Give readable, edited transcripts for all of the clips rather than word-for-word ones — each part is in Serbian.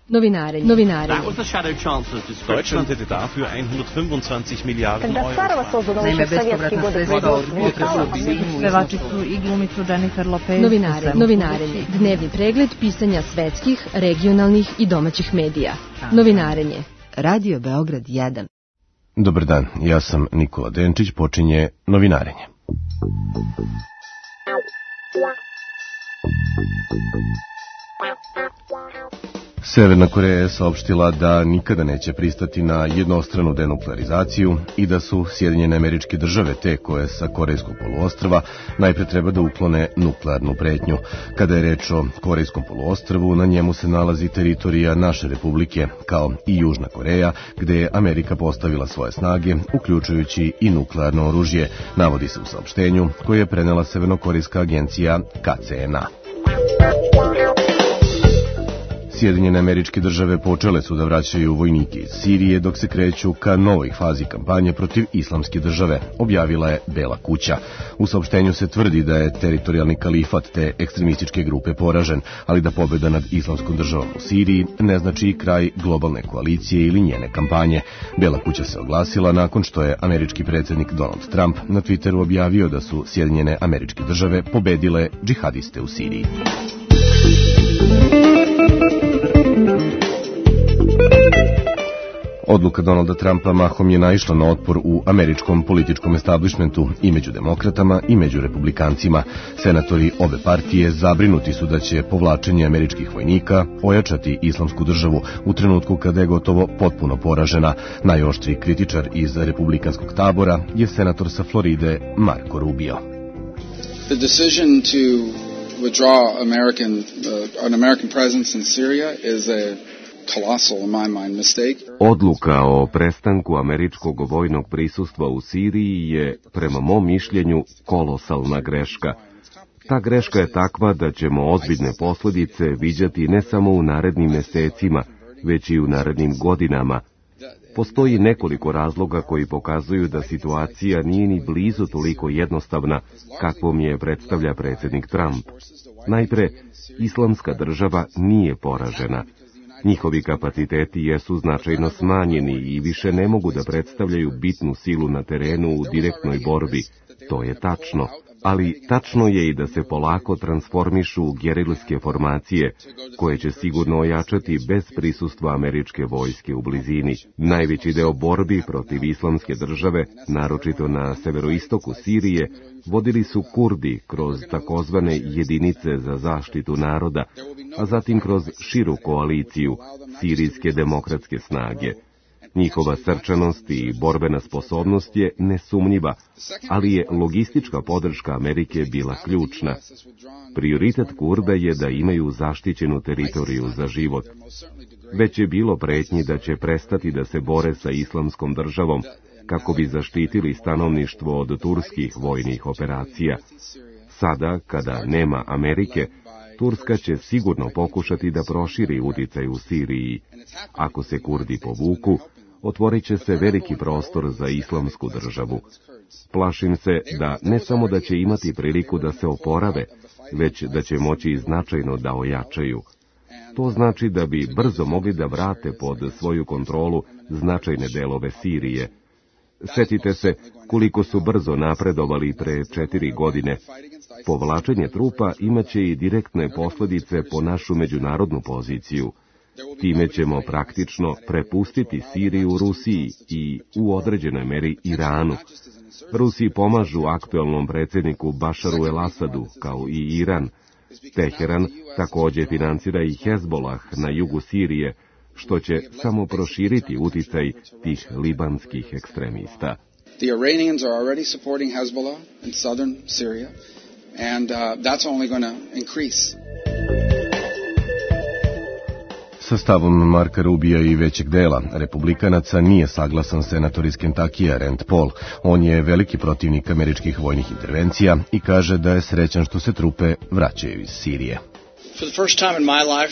Novinarenje. Deutschland hätte dafür 125 Miliarden Euro. Naime, bespovratna sredstva pevačicu i glumicu Jennifer Lopez. Novinarenje. Dnevni pregled pisanja svetskih, regionalnih i domaćih medija. Novinarenje. Radio Beograd 1. Dobar dan, ja sam Nikola Denčić, počinje Novinarenje. Severna Koreja je saopštila da nikada neće pristati na jednostranu denuklearizaciju i da su Sjedinjene Američke Države te koje sa Korejskog poluostrva najpre treba da uklone nuklearnu pretnju. Kada je reč o Korejskom poluostrvu, na njemu se nalazi teritorija naše republike, kao i Južna Koreja, gde je Amerika postavila svoje snage, uključujući i nuklearno oružje, navodi se u saopštenju koje je prenela Severnokorejska agencija KCNA. Sjedinjene Američke Države počele su da vraćaju vojnike iz Sirije dok se kreću ka novoj fazi kampanje protiv Islamske države, objavila je Bela kuća. U saopštenju se tvrdi da je teritorijalni kalifat te ekstremističke grupe poražen, ali da pobjeda nad Islamskom državom u Siriji ne znači i kraj globalne koalicije ili njene kampanje. Bela kuća se oglasila nakon što je američki predsjednik Donald Trump na Twitteru objavio da su Sjedinjene Američke Države pobedile džihadiste u Siriji. Odluka Donalda Trumpa mahom je naišla na otpor u američkom političkom establishmentu i među demokratama i među republikancima. Senatori obe partije zabrinuti su da će povlačenje američkih vojnika ojačati Islamsku državu u trenutku kada je gotovo potpuno poražena. Najoštriji kritičar iz republikanskog tabora je senator sa Floride Marco Rubio. The decision to withdraw an American presence in Syria is a colossal, in my mind, mistake. Odluka o prestanku američkog vojnog prisustva u Siriji je, prema mom mišljenju, kolosalna greška. Ta greška je takva da ćemo ozbiljne posljedice viđati ne samo u narednim mesecima, već i u narednim godinama. Postoji nekoliko razloga koji pokazuju da situacija nije ni blizu toliko jednostavna kakvom je predstavlja predsjednik Trump. Najpre, Islamska država nije poražena. Njihovi kapaciteti jesu značajno smanjeni i više ne mogu da predstavljaju bitnu silu na terenu u direktnoj borbi. To je tačno, ali tačno je i da se polako transformišu u gerilske formacije, koje će sigurno ojačati bez prisustva američke vojske u blizini. Najveći deo borbi protiv Islamske države, naročito na severoistoku Sirije, vodili su Kurdi kroz takozvane jedinice za zaštitu naroda, a zatim kroz širu koaliciju, sirijske demokratske snage. Njihova srčanost i borbena sposobnost je nesumnjiva, ali je logistička podrška Amerike bila ključna. Prioritet Kurda je da imaju zaštićenu teritoriju za život. Već je bilo pretnji da će prestati da se bore sa Islamskom državom, kako bi zaštitili stanovništvo od turskih vojnih operacija. Sada, kada nema Amerike, Turska će sigurno pokušati da proširi uticaj u Siriji. Ako se Kurdi povuku, otvorit će se veliki prostor za Islamsku državu. Plašim se da ne samo da će imati priliku da se oporave, već da će moći značajno da ojačaju. To znači da bi brzo mogli da vrate pod svoju kontrolu značajne delove Sirije. Setite se koliko su brzo napredovali pre 4 godine. Povlačenje trupa imaće i direktne posljedice po našu međunarodnu poziciju. Time ćemo praktično prepustiti Siriju Rusiji i u određenoj meri Iranu. Rusi pomažu aktuelnom predsjedniku Bašaru el-Asadu, kao i Iran. Teheran također financira i Hezbolah na jugu Sirije, što će samo proširiti uticaj tih libanskih ekstremista. The Iranians are already supporting Hezbollah in southern Syria, and that's only going to increase. Sa stavom Marka Rubija i većeg dela republikanaca nije saglasan senator iz Kentakija Rand Paul. On je veliki protivnik američkih vojnih intervencija i kaže da je srećan što se trupe vraćaju iz Sirije.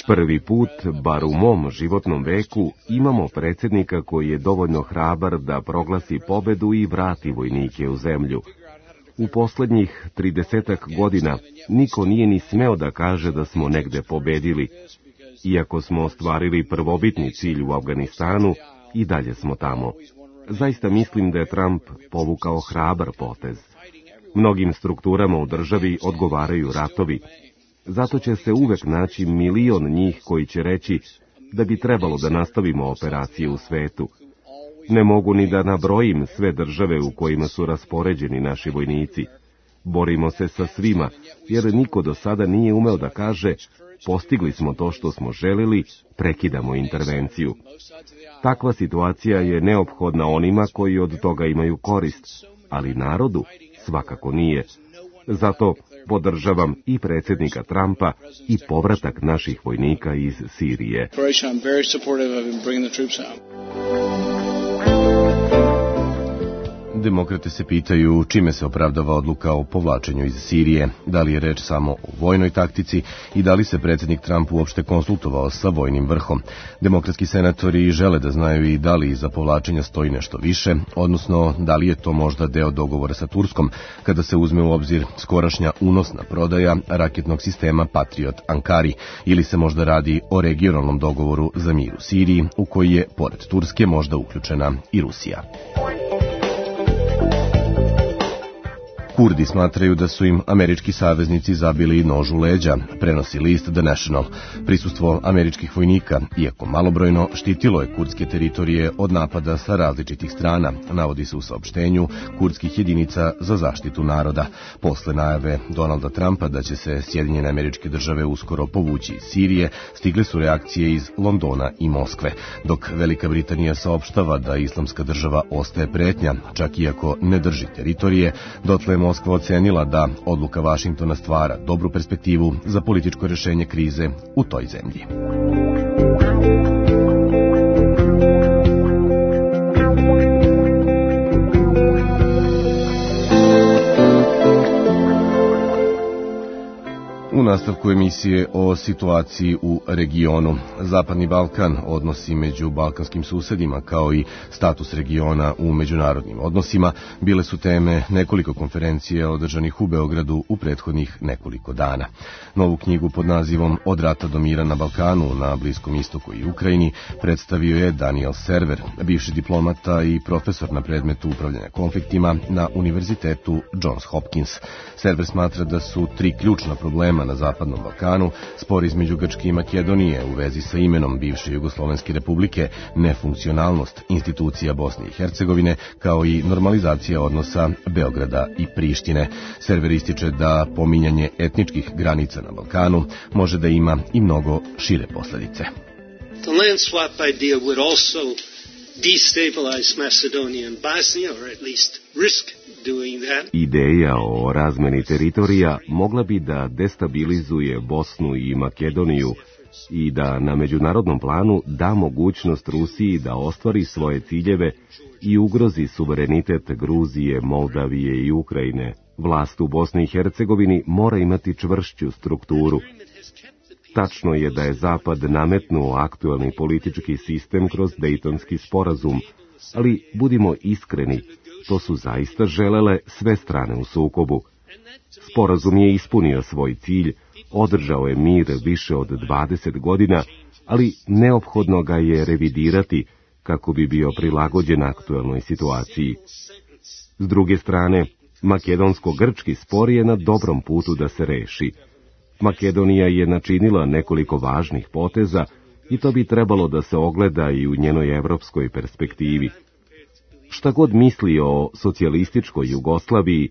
Prvi put, bar u mom životnom veku, imamo predsjednika koji je dovoljno hrabar da proglasi pobedu i vrati vojnike u zemlju. U posljednjih 30 godina niko nije ni smeo da kaže da smo negde pobedili. Iako smo ostvarili prvobitni cilj u Afganistanu, i dalje smo tamo. Zaista mislim da je Trump povukao hrabar potez. Mnogim strukturama u državi odgovaraju ratovi. Zato će se uvek naći milion njih koji će reći da bi trebalo da nastavimo operacije u svetu. Ne mogu ni da nabrojim sve države u kojima su raspoređeni naši vojnici. Borimo se sa svima, jer niko do sada nije umeo da kaže postigli smo to što smo želeli, prekidamo intervenciju. Takva situacija je neophodna onima koji od toga imaju korist, ali narodu svakako nije. Zato podržavam i predsjednika Trumpa i povratak naših vojnika iz Sirije. Demokrate se pitaju čime se opravdava odluka o povlačenju iz Sirije, da li je reč samo o vojnoj taktici i da li se predsjednik Trump uopšte konsultovao sa vojnim vrhom. Demokratski senatori žele da znaju i da li iza povlačenja stoji nešto više, odnosno da li je to možda deo dogovora sa Turskom, kada se uzme u obzir skorašnja unosna prodaja raketnog sistema Patriot Ankari, ili se možda radi o regionalnom dogovoru za mir u Siriji, u koji je, pored Turske, možda uključena i Rusija. Kurdi smatraju da su im američki saveznici zabili nož u leđa, prenosi list The National. Prisustvo američkih vojnika, iako malobrojno, štitilo je kurdske teritorije od napada sa različitih strana, navodi se u saopštenju kurdskih jedinica za zaštitu naroda. Posle najave Donalda Trumpa da će se Sjedinjene Američke Države uskoro povući iz Sirije, stigle su reakcije iz Londona i Moskve, dok Velika Britanija saopštava da Islamska država ostaje pretnja, čak iako ne drži teritorije, dotle Moskva ocenila da odluka Vašingtona stvara dobru perspektivu za političko rešenje krize u toj zemlji. U nastavku emisije o situaciji u regionu. Zapadni Balkan, odnosi među balkanskim susedima kao i status regiona u međunarodnim odnosima bile su teme nekoliko konferencija održanih u Beogradu u prethodnih nekoliko dana. Novu knjigu pod nazivom Od rata do mira na Balkanu, na Bliskom istoku i Ukrajini predstavio je Daniel Server, bivši diplomata i profesor na predmetu upravljanja konfliktima na Univerzitetu Johns Hopkins. Server smatra da su tri ključna problema na Zapadnom Balkanu, spor između Grčke i Makedonije u vezi sa imenom bivše Jugoslovenske republike, nefunkcionalnost institucija Bosne i Hercegovine, kao i normalizacija odnosa Beograda i Prištine. Server ističe da pominjanje etničkih granica na Balkanu može da ima i mnogo šire posledice. The land swap idea would also destabilize Macedonia and Bosnia, or at least risk doing that. Ideja o razmeni teritorija mogla bi da destabilizuje Bosnu i Makedoniju i da na međunarodnom planu da mogućnost Rusiji da ostvari svoje ciljeve i ugrozi suverenitet Gruzije, Moldavije i Ukrajine. Vlast u Bosni i Hercegovini mora imati čvršću strukturu. Tačno je da je Zapad nametnuo aktualni politički sistem kroz Dejtonski sporazum, ali budimo iskreni, to su zaista želele sve strane u sukobu. Sporazum je ispunio svoj cilj, održao je mir više od 20 godina, ali neophodno ga je revidirati kako bi bio prilagođen aktualnoj situaciji. S druge strane, makedonsko-grčki spor je na dobrom putu da se reši. Makedonija je načinila nekoliko važnih poteza i to bi trebalo da se ogleda i u njenoj evropskoj perspektivi. Šta god misli o socijalističkoj Jugoslaviji,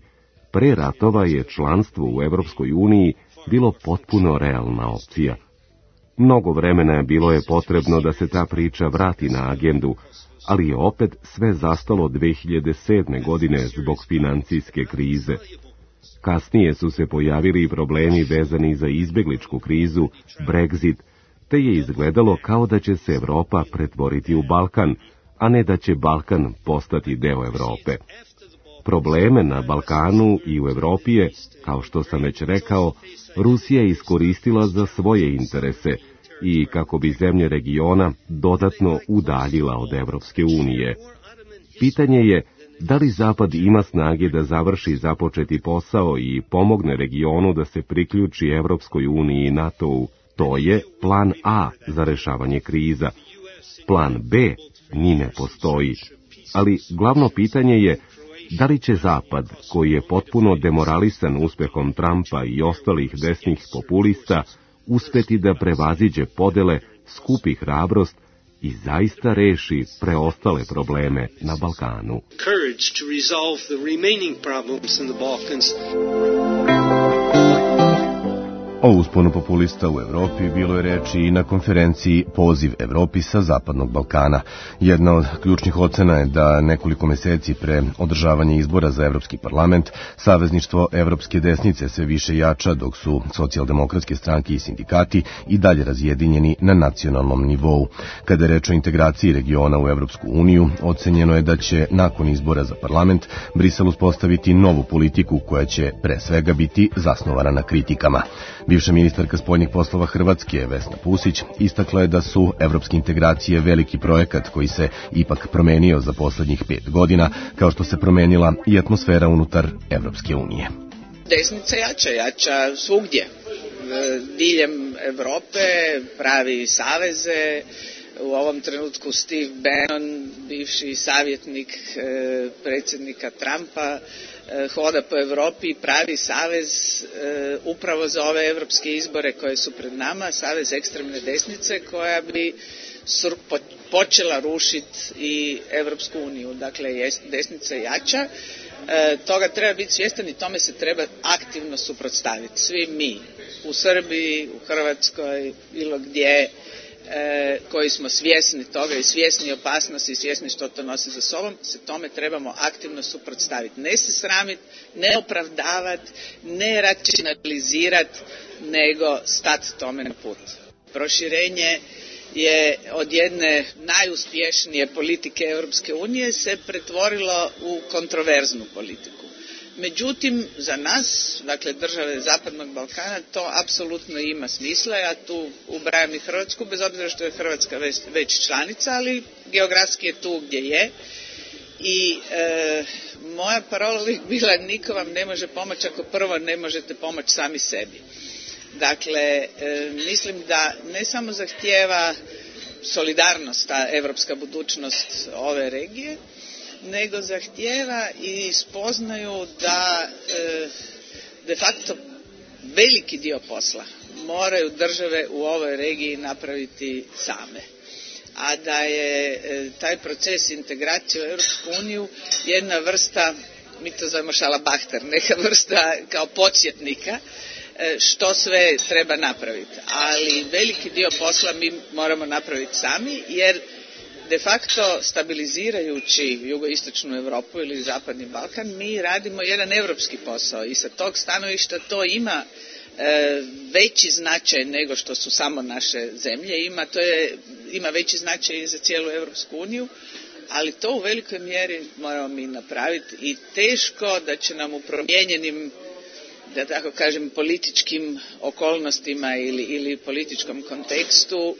pre ratova je članstvo u Evropskoj uniji bilo potpuno realna opcija. Mnogo vremena bilo je potrebno da se ta priča vrati na agendu, ali je opet sve zastalo 2007. godine zbog financijske krize. Kasnije su se pojavili problemi vezani za izbegličku krizu, Brexit, te je izgledalo kao da će se Evropa pretvoriti u Balkan, a ne da će Balkan postati deo Evrope. Probleme na Balkanu i u Evropi je, kao što sam već rekao, Rusija iskoristila za svoje interese i kako bi zemlje regiona dodatno udaljila od Evropske unije. Pitanje je da li Zapad ima snage da završi započeti posao i pomogne regionu da se priključi Evropskoj uniji i NATO-u. To je plan A za rešavanje kriza. Plan B ni ne postoji. Ali glavno pitanje je da li će Zapad, koji je potpuno demoralisan uspehom Trumpa i ostalih desnih populista, uspeti da prevaziđe podele, skupi hrabrost i zaista reši preostale probleme na Balkanu. O usponu populista u Evropi bilo je reči i na konferenciji Poziv Evropi sa Zapadnog Balkana. Jedna od ključnih ocena je da nekoliko meseci pre održavanja izbora za Evropski parlament savezništvo evropske desnice sve više jača, dok su socijaldemokratske stranke i sindikati i dalje razjedinjeni na nacionalnom nivou. Kada je reč o integraciji regiona u Evropsku uniju, ocenjeno je da će nakon izbora za parlament Brisel uspostaviti novu politiku koja će pre svega biti zasnovana na kritikama. Bivša ministarka spoljnih poslova Hrvatske, Vesna Pusić, istakla je da su evropske integracije veliki projekat koji se ipak promenio za poslednjih 5 godina, kao što se promenila i atmosfera unutar Evropske unije. Desnica jača svugdje. Diljem Evrope pravi saveze. U ovom trenutku Steve Bannon, bivši savjetnik predsjednika Trumpa, hoda po Evropi i pravi savez upravo za ove evropske izbore koje su pred nama, savez ekstremne desnice koja bi počela rušiti i Evropsku uniju. Dakle, desnica jača, toga treba biti svjestan i tome se treba aktivno suprotstaviti. Svi mi u Srbiji, u Hrvatskoj, bilo gdje, koji smo svjesni toga i svjesni opasnosti i svjesni što to nosi za sobom, se tome trebamo aktivno suprotstaviti. Ne se sramiti, ne opravdavati, ne racionalizirati, nego stati tome na put. Proširenje je od jedne najuspješnije politike Europske unije se pretvorilo u kontroverznu politiku. Međutim, za nas, dakle države Zapadnog Balkana, to apsolutno ima smisla. Ja tu ubrajam i Hrvatsku, bez obzira što je Hrvatska već članica, ali geografski je tu gdje je. I moja parola uvijek bila, niko vam ne može pomoći ako prvo ne možete pomoći sami sebi. Dakle, mislim da ne samo zahtijeva solidarnost, ta evropska budućnost ove regije, nego zahtijeva i spoznaju da de facto veliki dio posla moraju države u ovoj regiji napraviti same. A da je taj proces integracije u Europsku uniju jedna vrsta, mi to zovemo šalabahter, neka vrsta kao podsjetnika što sve treba napraviti. Ali veliki dio posla mi moramo napraviti sami, jer de facto stabilizirajući jugoistočnu Europu ili Zapadni Balkan, mi radimo jedan europski posao i sa tog stanovišta to ima veći značaj nego što su samo naše zemlje, ima veći značaj i za cijelu Europsku uniju, ali to u velikoj mjeri moramo mi napraviti i teško da će nam u promijenjenim, da tako kažem, političkim okolnostima ili političkom kontekstu,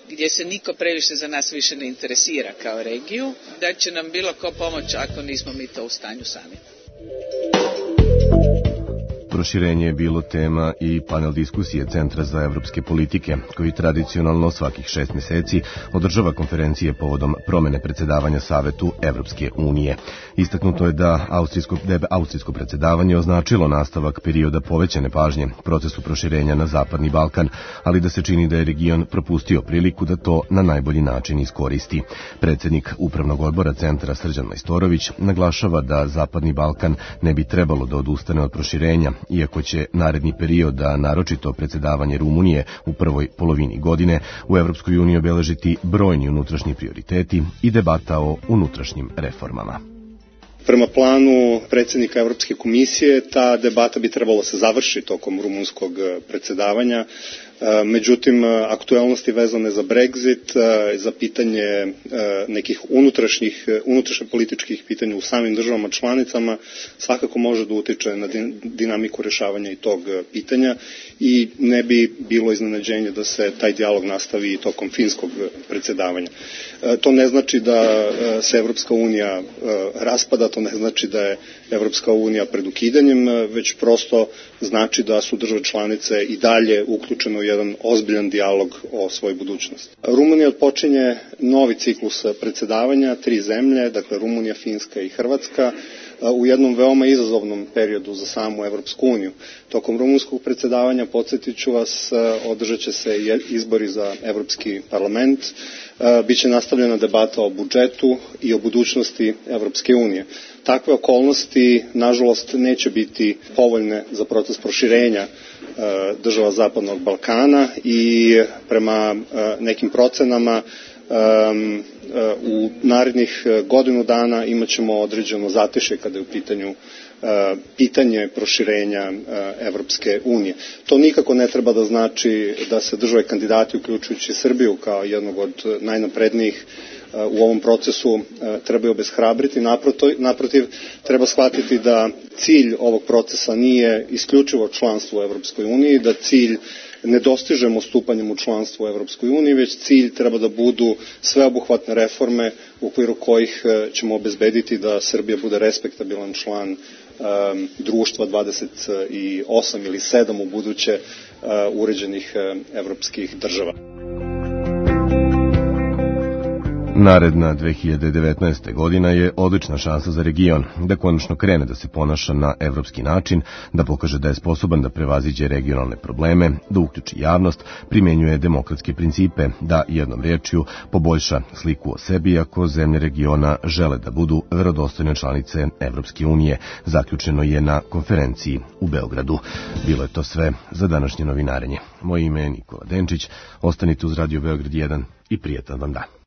gdje se niko previše za nas više ne interesira kao regiju, da će nam bilo ko pomoći ako nismo mi to u stanju sami. Proširenje je bilo tema i panel diskusije Centra za evropske politike, koji tradicionalno svakih 6 meseci održava konferencije povodom promene predsjedavanja Savetu Evropske unije. Istaknuto je da austrijsko predsjedavanje označilo nastavak perioda povećane pažnje procesu proširenja na Zapadni Balkan, ali da se čini da je region propustio priliku da to na najbolji način iskoristi. Predsjednik Upravnog odbora Centra Srđan Majstorović naglašava da Zapadni Balkan ne bi trebalo da odustane od proširenja, iako će naredni period, a naročito predsjedavanje Rumunije u prvoj polovini godine, u Evropskoj uniji obeležiti brojni unutrašnji prioriteti i debata o unutrašnjim reformama. Prema planu predsjednika Evropske komisije, ta debata bi trebalo se završiti tokom rumunskog predsjedavanja. Međutim, aktuelnosti vezane za Brexit, za pitanje nekih unutrašnjih političkih pitanja u samim državama članicama svakako može da utiče na dinamiku rješavanja i tog pitanja i ne bi bilo iznenađenje da se taj dijalog nastavi i tokom finskog predsjedavanja. To ne znači da se Evropska unija raspada, to ne znači da je Evropska unija pred ukidanjem, već prosto znači da su države članice i dalje uključene u jedan ozbiljan dijalog o svojoj budućnosti. Rumunija odpočinje novi ciklus predsedavanja, 3 zemlje, dakle Rumunija, Finska i Hrvatska, u jednom veoma izazovnom periodu za samu Evropsku uniju. Tokom rumunskog predsedavanja, podsjetit ću vas, održat će se izbori za Evropski parlament, biće nastavljena debata o budžetu i o budućnosti Evropske unije. Takve okolnosti, nažalost, neće biti povoljne za proces proširenja država Zapadnog Balkana i prema nekim procenama u narednih godinu dana imat ćemo određeno zatešje kada je u pitanju pitanje proširenja Evropske unije. To nikako ne treba da znači da se države kandidati, uključujući Srbiju kao jednog od najnaprednijih u ovom procesu, trebaju obeshrabriti. Naprotiv, treba shvatiti da cilj ovog procesa nije isključivo članstvo u Evropskoj uniji, da cilj ne dostižemo stupanjem u članstvo u Evropskoj uniji, već cilj treba da budu sveobuhvatne reforme u okviru kojih ćemo obezbediti da Srbija bude respektabilan član društva 28 ili 7 u buduće uređenih evropskih država. Naredna 2019. godina je odlična šansa za region da konačno krene da se ponaša na evropski način, da pokaže da je sposoban da prevaziđe regionalne probleme, da uključi javnost, primenjuje demokratske principe, da jednom rečju poboljša sliku o sebi ako zemlje regiona žele da budu verodostojne članice Evropske unije, zaključeno je na konferenciji u Beogradu. Bilo je to sve za današnje novinarenje. Moje ime je Nikola Denčić, ostanite uz Radio Beograd 1 i prijetan vam dan.